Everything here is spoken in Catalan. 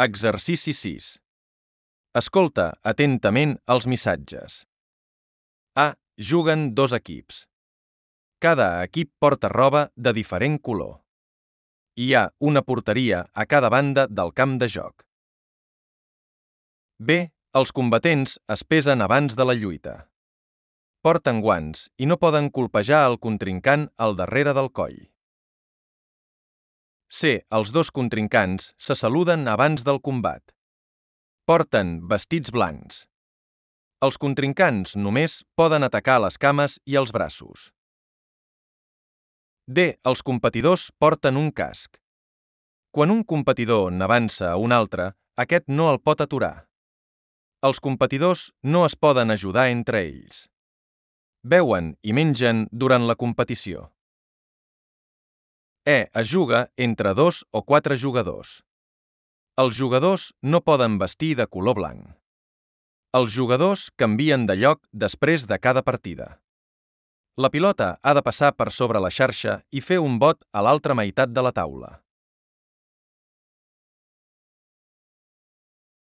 Exercici 6. Escolta atentament els missatges. A. Juguen dos equips. Cada equip porta roba de diferent color. Hi ha una porteria a cada banda del camp de joc. B. Els combatents es pesen abans de la lluita. Porten guants i no poden colpejar el contrincant al darrere del coll. C. Els dos contrincants se saluden abans del combat. Porten vestits blancs. Els contrincants només poden atacar les cames i els braços. D. Els competidors porten un casc. Quan un competidor n'avança a un altre, aquest no el pot aturar. Els competidors no es poden ajudar entre ells. Beuen i mengen durant la competició. E. Es juga entre 2 o 4 jugadors. Els jugadors no poden vestir de color blanc. Els jugadors canvien de lloc després de cada partida. La pilota ha de passar per sobre la xarxa i fer un bot a l'altra meitat de la taula.